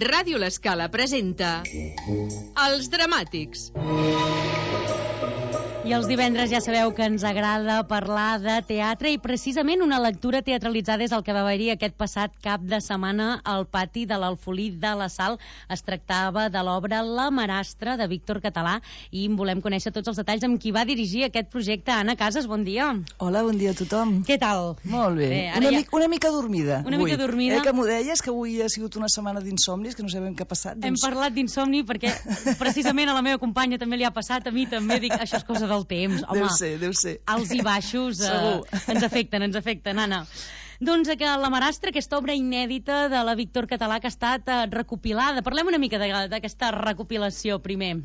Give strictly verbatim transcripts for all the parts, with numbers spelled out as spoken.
Ràdio L'Escala presenta Els Dramàtics. I els divendres ja sabeu que ens agrada parlar de teatre i precisament una lectura teatralitzada és el que va haver-hi aquest passat cap de setmana al pati de l'Alfolí de la Sal. Es tractava de l'obra La Marastra de Víctor Català i en volem conèixer tots els detalls amb qui va dirigir aquest projecte. Anna Casas, bon dia. Hola, bon dia a tothom. Què tal? Molt bé. bé una, ja... mica, una mica dormida. Una avui. mica dormida. Eh, que m'ho deies, que avui ha sigut una setmana d'insomnis, que no sabem què ha passat. Doncs... Hem parlat d'insomni perquè precisament a la meva companya també li ha passat, a mi també, dic, això és cosa del temps. Home, deu ser, deu ser. Alts i baixos eh, ens afecten, ens afecten, Anna. Doncs que La Marastra, aquesta obra inèdita de la Víctor Català que ha estat eh, recopilada. Parlem una mica d'aquesta recopilació primer.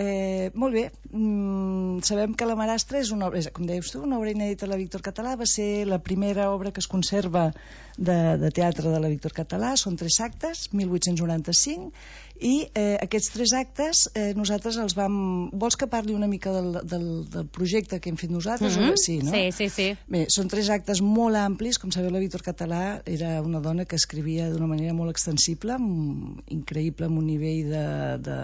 Eh, molt bé, mm, sabem que La Marastra és una obra, com deies tu, una obra inèdita de la Víctor Català, va ser la primera obra que es conserva de, de teatre de la Víctor Català, són tres actes, mil vuit-cents noranta-cinc, i eh, aquests tres actes eh, nosaltres els vam... Vols que parli una mica del, del, del projecte que hem fet nosaltres? Mm-hmm. Sí, no? Sí, sí, sí. Bé, són tres actes molt amplis, com sabeu la Víctor Català era una dona que escrivia d'una manera molt extensible, increïble, amb un nivell de, de,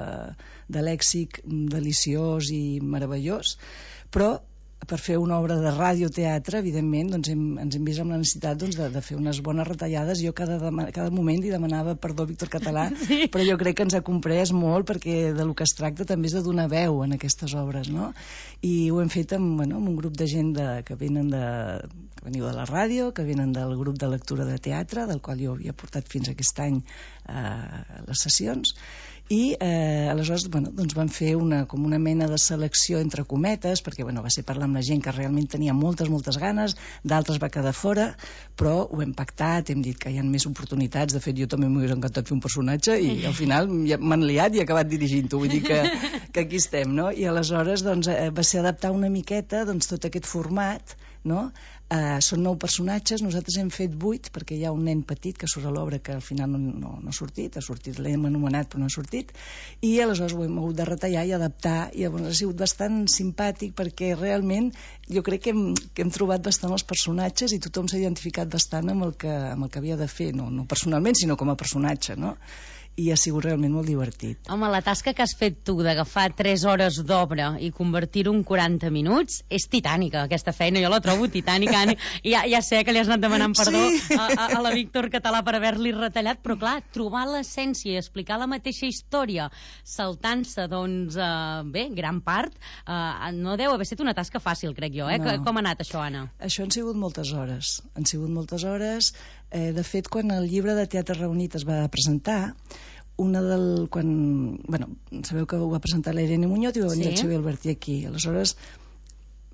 de lèxic deliciós i meravellós, però per fer una obra de radioteatre, evidentment, doncs hem, ens hem vist amb la necessitat doncs, de, de fer unes bones retallades. Jo cada, cada moment li demanava perdó a Víctor Català, sí. Però jo crec que ens ha comprès molt perquè de lo que es tracta també és de donar veu en aquestes obres, no? I ho hem fet amb, bueno, amb un grup de gent de, que venen de, que veniu de la ràdio, que venen del grup de lectura de teatre, del qual jo havia portat fins aquest any eh, les sessions, i eh, aleshores bueno, doncs van fer una, com una mena de selecció entre cometes, perquè bueno, va ser parlar amb la gent que realment tenia moltes, moltes ganes, d'altres va quedar fora, però ho hem pactat, hem dit que hi ha més oportunitats. De fet, jo també m'hauria encantat fer un personatge i al final ja m'han liat i he acabat dirigint-ho, vull dir que, que aquí estem, no? I aleshores doncs, eh, va ser adaptar una miqueta doncs, tot aquest format, no? Uh, són nou personatges, nosaltres hem fet vuit perquè hi ha un nen petit que surt a l'obra que al final no, no, no ha sortit, ha sortit, l'hem anomenat però no ha sortit, i aleshores ho hem hagut de retallar i adaptar, i llavors ha sigut bastant simpàtic perquè realment jo crec que hem, que hem trobat bastant els personatges i tothom s'ha identificat bastant amb el que, amb el que havia de fer, no, no personalment sinó com a personatge, no? I ha sigut realment molt divertit. Home, la tasca que has fet tu d'agafar tres hores d'obra i convertir-ho en quaranta minuts és titànica, aquesta feina, jo la trobo titànica. Ja, ja sé que li has anat demanant perdó sí. a, a, a la Víctor Català per haver-li retallat, però clar, trobar l'essència i explicar la mateixa història saltant-se, doncs, eh, bé, gran part, eh, no deu haver estat una tasca fàcil, crec jo, eh? No. Com ha anat això, Anna? Això han sigut moltes hores, han sigut moltes hores. Eh, de fet, quan el llibre de Teatre Reunit es va presentar, una del... quan, bueno, sabeu que ho va presentar la Irene Muñoz i va venir sí. el Xavier Albertí aquí. Aleshores,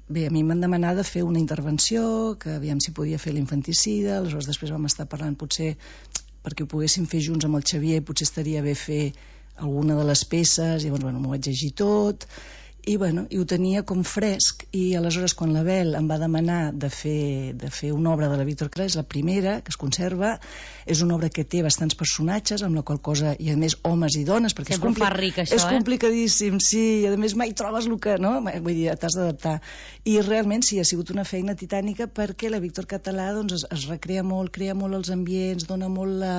bé, a mi m'han demanat de fer una intervenció, que aviam si podia fer l'infanticida, aleshores després vam estar parlant potser perquè ho poguéssim fer junts amb el Xavier, potser estaria bé fer alguna de les peces, i llavors, bueno, m'ho vaig llegir tot, i bueno, i ho tenia com fresc, i aleshores quan l'Abel em va demanar de fer, de fer una obra de la Víctor Català, és la primera que es conserva, és una obra que té bastants personatges, amb la qual cosa hi ha més homes i dones, perquè sempre és, compli fa ric, això, és complicadíssim, sí, i a més mai trobes el que, no? Vull dir, t'has d'adaptar. I realment sí, ha sigut una feina titànica perquè la Víctor Català doncs, es, es recrea molt, crea molt els ambients, dona molt la...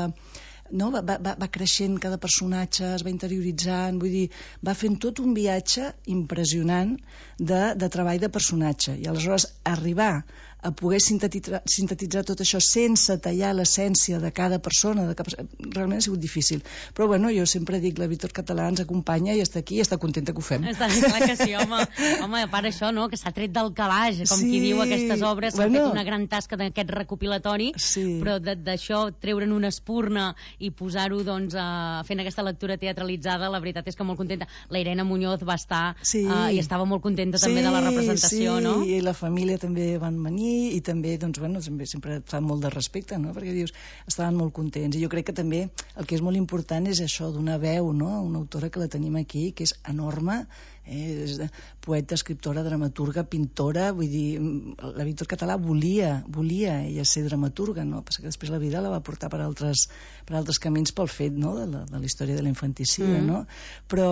No? Va, va, va creixent cada personatge, es va interioritzant, vull dir, va fent tot un viatge impressionant de, de treball de personatge, i aleshores arribar a poder sintetitzar, sintetitzar tot això sense tallar l'essència de cada persona, de cap... realment ha sigut difícil, però bueno, jo sempre dic, la Víctor Català ens acompanya i està aquí i està contenta que ho fem. Està clar que sí, home, home a part això, no? Que s'ha tret del calaix, com sí. qui diu aquestes obres, s'ha bueno. fet una gran tasca d'aquest recopilatori, sí. però d'això treure'n una espurna i posar-ho doncs, uh, fent aquesta lectura teatralitzada, la veritat és que molt contenta. La Irene Muñoz va estar sí. uh, i estava molt contenta sí, també de la representació, sí. no? I la família també van venir i també, doncs, bueno, sempre, sempre et fa molt de respecte, no? Perquè dius, estaven molt contents, i jo crec que també el que és molt important és això, donar veu, no? Una autora que la tenim aquí, que és enorme, eh, és poeta, escriptora, dramaturga, pintora, vull dir, la Víctor Català volia, volia ella ser dramaturga, no? Passa que després la vida la va portar per altres, per altres camins pel fet, no?, de la, de la història de l'infanticida, mm. no? Però,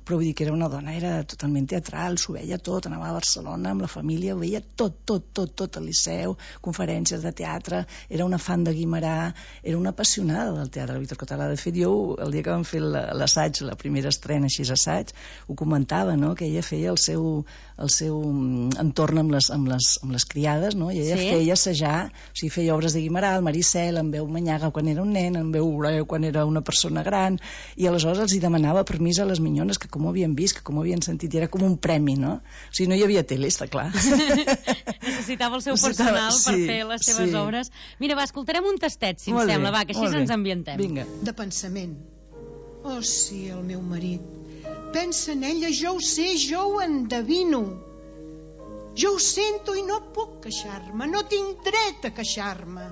però vull dir que era una dona, era totalment teatral, s'ho veia tot, anava a Barcelona amb la família, ho veia tot, tot, tot, tot al Liceu, conferències de teatre, era una fan de Guimerà, era una apassionada del teatre, la Víctor Català. De fet, jo, el dia que vam fer l'assaig, la primera estrena així assaig, ho comentava, no?, que ella feia el seu, el seu entorn amb les, amb les, amb les criades, no?, i ella sí? feia assajar, o sigui, feia obres de Guimerà, el Maricel, en veu Manyaga quan era un nen, en veu Oreu quan era una persona gran, i aleshores els hi demanava permís a les minyones, que com ho havien vist, que com ho havien sentit, i era com un premi, no? O sigui, no hi havia tele, està clar. Necessitava el seu personal sí, per fer les seves sí. obres. Mira, va, escoltarem un tastet, si molt em bé, sembla, va, que així ens ambientem. Vinga. De pensament. Oh, sí, el meu marit. Pensa en ella, jo ho sé, jo ho endevino. Jo ho sento i no puc queixar-me, no tinc dret a queixar-me.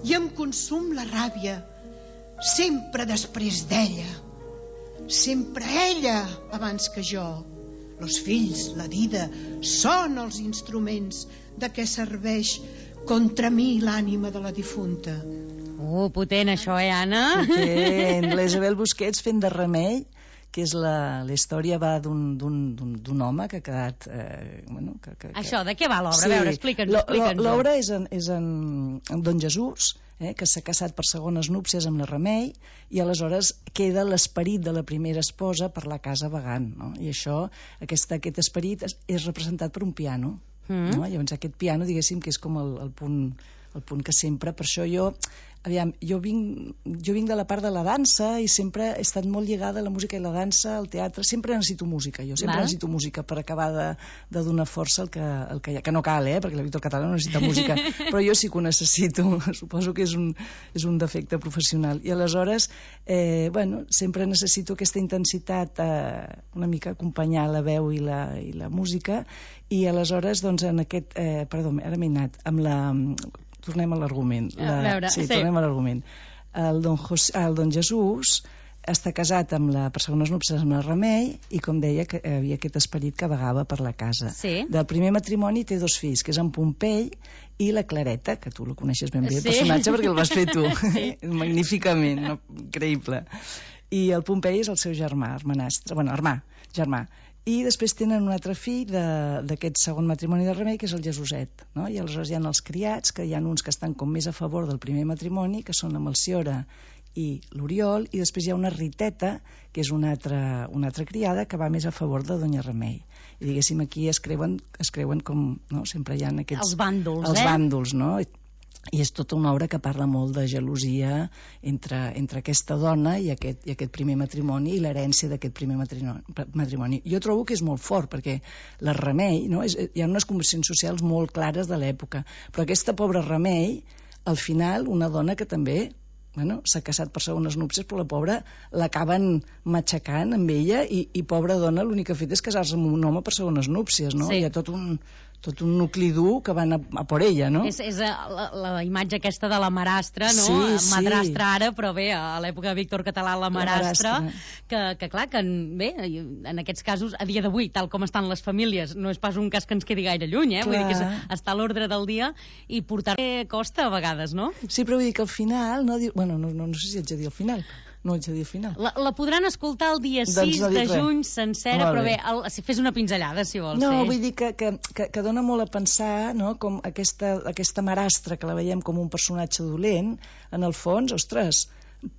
I em consum la ràbia, sempre després d'ella. Sempre ella abans que jo. Els fills, la vida, són els instruments de què serveix contra mi l'ànima de la difunta. Oh, potent això, eh, Anna? Potent. La Isabel Busquets fent de Remei, que és la, la història va d'un home que ha quedat... Eh, bueno, que, que, això, de què va l'obra? Sí. A veure, explica'ns-ho. Explica'ns l'obra és, en, és en, en Don Jesús, eh, que s'ha casat per segones núpcies amb la Remei, i aleshores queda l'esperit de la primera esposa per la casa vagant, no? I això, aquest, aquest esperit és, és representat per un piano. Mm. No? Llavors aquest piano, diguéssim, que és com el, el punt... el punt que sempre, per això jo aviam, jo vinc, jo vinc de la part de la dansa i sempre he estat molt lligada a la música i la dansa, al teatre, sempre necessito música, jo sempre Val. necessito música per acabar de, de donar força al que, al que hi ha, que no cal, eh, perquè la Víctor Català no necessita música, però jo sí que ho necessito, suposo que és un, és un defecte professional, i aleshores eh, bueno, sempre necessito aquesta intensitat, eh, una mica acompanyar la veu i la, i la música, i aleshores doncs en aquest, eh, perdó, ara m'he anat amb la... tornem a l'argument. Sí, sí, tornem a l'argument. El, don José, el Don Jesús està casat amb la, per segones núpcies amb la Remei, i com deia que havia aquest esperit que vagava per la casa. Sí. Del primer matrimoni té dos fills, que és en Pompei i la Clareta, que tu la coneixes ben bé, el sí. personatge, perquè el vas fer tu. Sí. Magníficament, no? Increïble. I el Pompei és el seu germà, hermanastre, bueno, hermà, germà. I després tenen un altre fill d'aquest segon matrimoni de Remei, que és el Jesuset, no? I aleshores hi ha els criats, que hi ha uns que estan com més a favor del primer matrimoni, que són la Melciora i l'Oriol, i després hi ha una Riteta, que és una altra, una altra criada, que va més a favor de Doña Remei. I diguéssim, aquí es creuen, es creuen com, no? Sempre hi ha aquests... Els bàndols, els eh? Els bàndols, no? I és tota una obra que parla molt de gelosia entre, entre aquesta dona i aquest, i aquest primer matrimoni i l'herència d'aquest primer matrimoni. Jo trobo que és molt fort, perquè la Remei, no? és, hi ha unes convencions socials molt clares de l'època, però aquesta pobra Remei, al final, una dona que també bueno, s'ha casat per segones núpcies, però la pobra l'acaben matxacant amb ella, i, i pobra dona l'únic que ha fet és casar-se amb un home per segones núpcies, no? Sí. Hi ha tot un... tot un nucli dur que van a, a por ella, no? És, és la, la imatge aquesta de la marastra, no? Sí, sí. Madrastra ara, però bé, a l'època de Víctor Català, la marastra, la marastra. Que, que clar, que bé, en aquests casos, a dia d'avui, tal com estan les famílies, no és pas un cas que ens quedi gaire lluny, eh? Clar. Vull dir que és, està a l'ordre del dia, i portar costa a vegades, no? Sí, però vull dir que al final, no, bueno, no, no, no sé si haig de dir al final, no haig de dir al final. La, la podran escoltar el dia sis doncs no de juny sencera, però bé, el, si fes una pinzellada, si vols. No, sí. vull dir que, que, que, que dona molt a pensar, no?, com aquesta, aquesta marastra que la veiem com un personatge dolent, en el fons, ostres,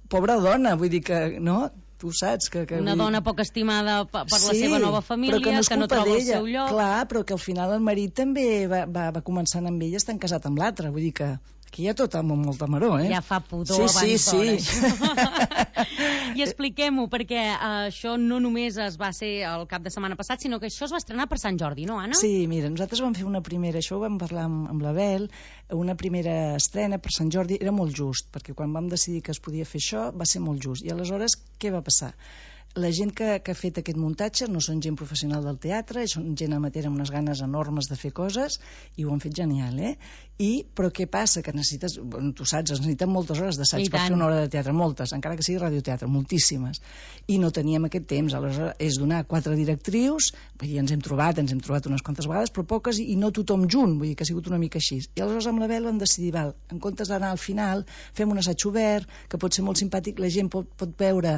pobra dona, vull dir que, no?, tu saps que... que una vull... dona poc estimada per, per sí, la seva nova família, que no, que no troba el seu lloc. Clar, però que al final el marit també va, va, va començant amb ella, estan casat amb l'altre, vull dir que aquí hi ha tot amb molta maror, eh? Ja fa pudor sí, abans sí, d'hora, sí. I expliquem-ho, perquè uh, això no només es va ser el cap de setmana passat, sinó que això es va estrenar per Sant Jordi, no, Anna? Sí, mira, nosaltres vam fer una primera, això ho vam parlar amb, amb l'Abel, una primera estrena per Sant Jordi, era molt just, perquè quan vam decidir que es podia fer això, va ser molt just. I aleshores, què va passar? La gent que, que ha fet aquest muntatge no són gent professional del teatre, són gent amateur amb unes ganes enormes de fer coses, i ho han fet genial, eh? I, però què passa? Que necessites, bueno, tu saps, es necessiten moltes hores d'assaig per fer una hora de teatre, moltes, encara que sigui radioteatre, moltíssimes. I no teníem aquest temps, aleshores és donar quatre directrius, vull dir, ens hem trobat, ens hem trobat unes quantes vegades, però poques, i no tothom junt, vull dir que ha sigut una mica així. I aleshores amb la Bel vam decidir, val, en comptes d'anar al final, fem un assaig obert, que pot ser molt simpàtic, la gent pot, pot veure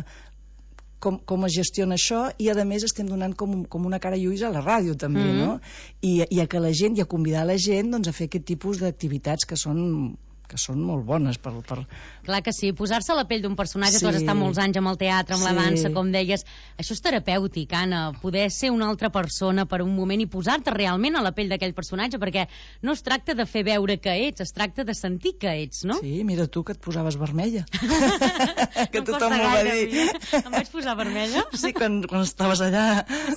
Com, com es gestiona això, i a més estem donant com, com una cara lluïsa a la ràdio també, mm -hmm. no? I, i a que la gent, i a convidar la gent doncs, a fer aquest tipus d'activitats que són que són molt bones per... per... Clar que sí, posar-se a la pell d'un personatge, sí. Tu has estat molts anys amb el teatre, amb sí. la dansa, com deies, això és terapèutic, Anna, poder ser una altra persona per un moment i posar-te realment a la pell d'aquell personatge, perquè no es tracta de fer veure que ets, es tracta de sentir que ets, no? Sí, mira tu que et posaves vermella. que no tothom m'ho va dir. Em vaig posar vermella? Sí, quan, quan estaves allà.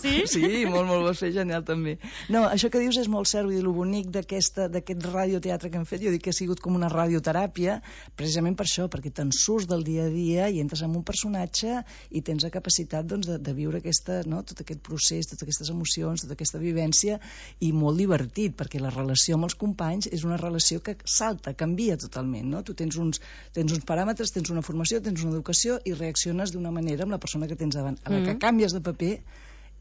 Sí? Sí, molt, molt, ho vas fer genial també. No, això que dius és molt cert, i el bonic d'aquest radioteatre que hem fet, jo dic que ha sigut com una radioteràpia, precisament per això, perquè te'n surts del dia a dia i entres en un personatge i tens la capacitat doncs, de, de viure aquesta, no? tot aquest procés, totes aquestes emocions, tota aquesta vivència, i molt divertit, perquè la relació amb els companys és una relació que salta, canvia totalment, no? Tu tens uns, tens uns paràmetres, tens una formació, tens una educació i reacciones d'una manera amb la persona que tens davant. A la que canvies de paper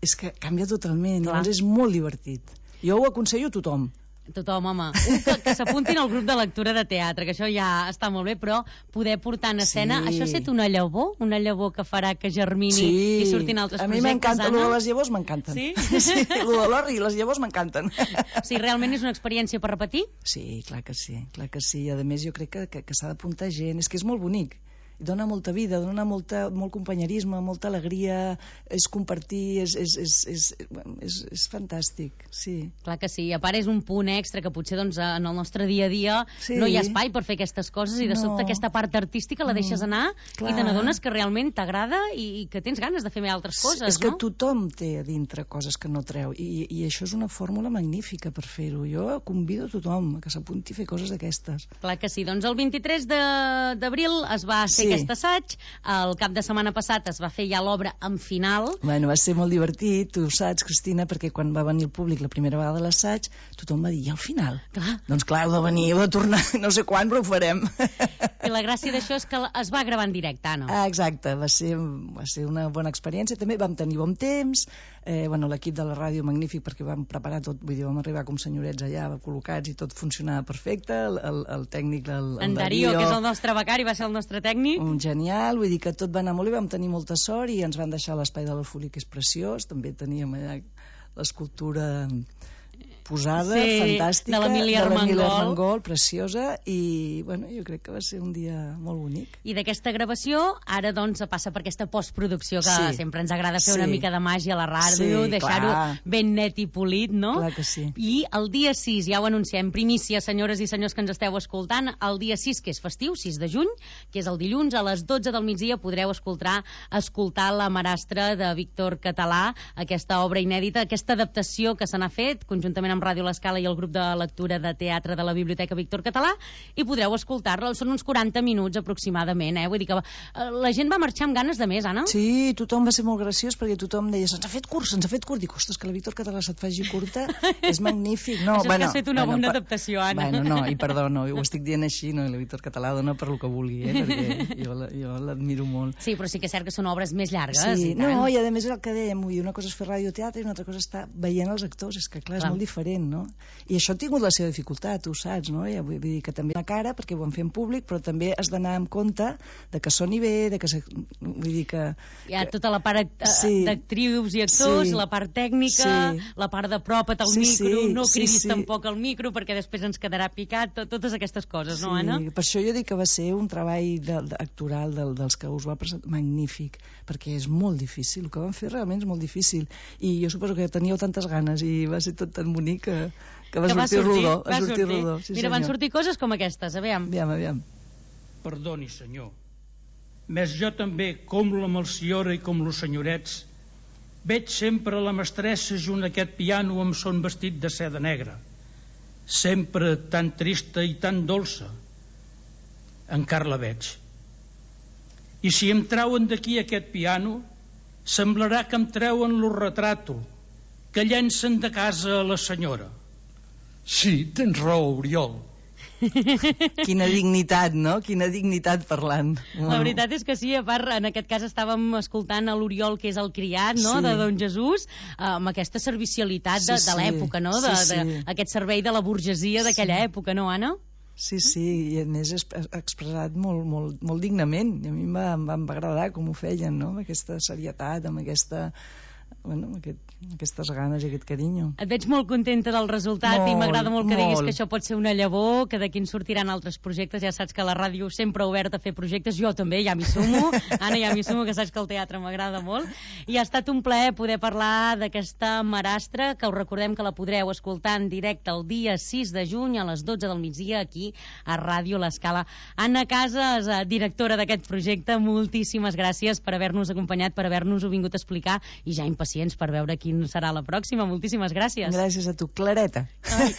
és que canvia totalment, llavors és molt divertit. Jo ho aconsello a tothom. Tothom, home. Un que, que s'apuntin al grup de lectura de teatre, que això ja està molt bé, però poder portar en escena... Sí. Això ha estat una llavor? Una llavor que farà que germini sí. i surtin altres projectes, projectes, a mi m'encanta, allò de les llavors m'encanten. Sí? Sí, allò de l'orri i les llavors m'encanten. O sigui, realment és una experiència per repetir? Sí, clar que sí, clar que sí. A més, jo crec que, que, que s'ha d'apuntar gent. És que és molt bonic. Dona molta vida, dona molta, molt companyerisme, molta alegria, és compartir, és, és, és, és, és, és fantàstic, sí. Clar que sí, a part és un punt extra que potser doncs, en el nostre dia a dia sí. no hi ha espai per fer aquestes coses i de no. sobte aquesta part artística la deixes anar no. i te n'adones que realment t'agrada i, i que tens ganes de fer més altres coses, és que no? tothom té a dintre coses que no treu i, i això és una fórmula magnífica per fer-ho. Jo convido a tothom que s'apunti a fer coses d'aquestes. Clar que sí, doncs el vint-i-tres d'abril es va fer sí. aquest assaig, el cap de setmana passat es va fer ja l'obra en final. Bueno, va ser molt divertit, tu ho saps, Cristina, perquè quan va venir el públic la primera vegada a l'assaig, tothom va dir, i al final? Clar. Doncs clar, heu de venir, heu de tornar, no sé quan, però ho farem. I la gràcia d'això és que es va gravar en directe, Anna. Ah, exacte, va ser, va ser una bona experiència, també vam tenir bon temps, eh, bueno, l'equip de la ràdio magnífic perquè vam preparar tot, vull dir, vam arribar com senyorets allà, col·locats i tot funcionava perfecte, el, el, el tècnic, el, el en Darío, que és el nostre becari, va ser el nostre tècnic. Un genial, vull dir que tot va anar molt bé, vam tenir molta sort i ens van deixar l'espai de l'Alfolí, que és preciós, també teníem allà l'escultura posada, sí, fantàstica, de l'Emília Armengol. Armengol, preciosa, i bueno, jo crec que va ser un dia molt bonic. I d'aquesta gravació, ara doncs passa per aquesta postproducció que sí. sempre ens agrada fer sí. una mica de màgia a la ràdio, sí, deixar-ho ben net i polit, no? Clar que sí. I el dia sis, ja ho anunciem, primícia, senyores i senyors que ens esteu escoltant, el dia sis, que és festiu, sis de juny, que és el dilluns, a les dotze del migdia podreu escoltar, escoltar La Marastra de Víctor Català, aquesta obra inèdita, aquesta adaptació que se n'ha fet, conjuntament amb amb Ràdio L'Escala i el grup de lectura de teatre de la Biblioteca Víctor Català, i podreu escoltar-la. Són uns quaranta minuts aproximadament, eh? Vull dir que eh, la gent va marxar amb ganes de més, Anna? Sí, tothom va ser molt graciós perquè tothom deia, se'ns ha fet curt, se'ns ha fet curt. Dic, ostres, que la Víctor Català se't faci curta és magnífic. No, això bueno, és que has fet una bueno, bona pa... adaptació, Anna. Bueno, no, i perdó, no, ho estic dient així, no, i la Víctor Català dona per lo que vulgui, eh? Perquè jo, la, jo l'admiro molt. Sí, però sí que és cert que són obres més llargues. Sí, i tant. No, i a més és el que dèiem, vull dir, una cosa és fer radioteatre i una altra cosa és estar veient els actors, és que clar, és clar. molt diferent, no? I això ha tingut la seva dificultat, tu saps, no? Ja vull dir que també la cara, perquè ho vam fer en públic, però també has d'anar amb compte de que soni bé, de que... Se... Vull dir que... Hi ha que... tota la part sí. d'actrius i actors, sí. la part tècnica, sí. la part de propa't al sí, micro, sí, no cridis sí, sí. tampoc al micro perquè després ens quedarà picat, tot, totes aquestes coses, sí. no, Anna? Per això jo dic que va ser un treball de, de, actoral del, dels que us va presentar magnífic, perquè és molt difícil, el que van fer realment és molt difícil, i jo suposo que teníeu tantes ganes i va ser tot tan bonic que, que va, que va sortir, sortir rodó. Va sortir, sortir. rodó sí, Mira, senyor. van sortir coses com aquestes, aviam. Aviam, aviam. Perdoni, senyor, més jo també, com la Melciora i com los senyorets, veig sempre la mestressa junt a aquest piano amb son vestit de seda negra, sempre tan trista i tan dolça. Encara la veig. I si em trauen d'aquí aquest piano, Semblarà que em treuen lo retrato, que llencen de casa a la senyora. Sí, tens raó, Oriol. Quina dignitat, no? Quina dignitat parlant. La veritat és que sí, a part, en aquest cas estàvem escoltant a l'Oriol, que és el criat, no?, Sí. de Don Jesús, amb aquesta servicialitat de, Sí, de sí. l'època, no?, de, Sí, sí. de, aquest servei de la burgesia d'aquella Sí. època, no, Anna? Sí, sí, i a més és expressat molt, molt, molt dignament. I a mi em va, em va agradar com ho feien, no?, amb aquesta serietat, amb aquesta... Bueno, amb aquest, aquestes ganes i aquest carinyo. Et veig molt contenta del resultat Molt, i m'agrada molt que diguis molt. que això pot ser una llavor, que d'aquí en sortiran altres projectes. Ja saps que la ràdio sempre ha obert a fer projectes, jo també, ja m'hi sumo. Anna, ja m'hi sumo, que saps que el teatre m'agrada molt. I ha estat un plaer poder parlar d'aquesta marastra, que us recordem que la podreu escoltar en directe el dia sis de juny a les dotze del migdia aquí a Ràdio L'Escala. Anna Casas, eh, directora d'aquest projecte, moltíssimes gràcies per haver-nos acompanyat, per haver-nos-ho vingut a explicar, i ja impacients per veure quin serà la pròxima. Moltíssimes gràcies. Gràcies a tu, Clareta. Ai.